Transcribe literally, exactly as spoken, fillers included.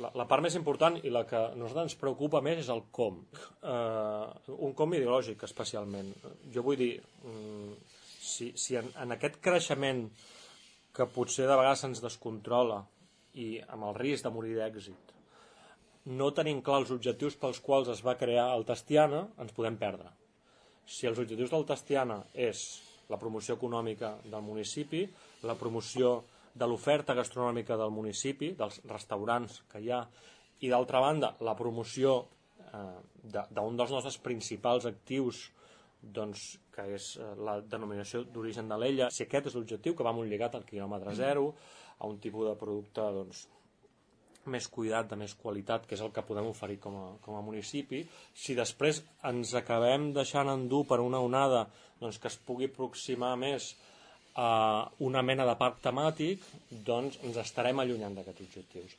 la, la part més important i la que a nosaltres ens preocupa més és el com. Eh, un com ideològic, especialment. Jo vull dir, si, si en, en aquest creixement que potser de vegades se'ns descontrola i amb el risc de morir d'èxit, no tenim clar els objectius pels quals es va crear el Tastiana, ens podem perdre. Si els objectius del Tastiana és la promoció econòmica del municipi, la promoció de l'oferta gastronòmica del municipi, dels restaurants que hi ha, i d'altra banda la promoció eh, d'un dels nostres principals actius, doncs, que és eh, la denominació d'origen de l'Ella, si aquest és l'objectiu, que va molt lligat al quilòmetre zero, a un tipus de producte doncs, més cuidat, de més qualitat, que és el que podem oferir com a, com a municipi, si després ens acabem deixant endur per una onada doncs, que es pugui aproximar més a una mena de parc temàtic, doncs ens estarem allunyant d'aquests objectius.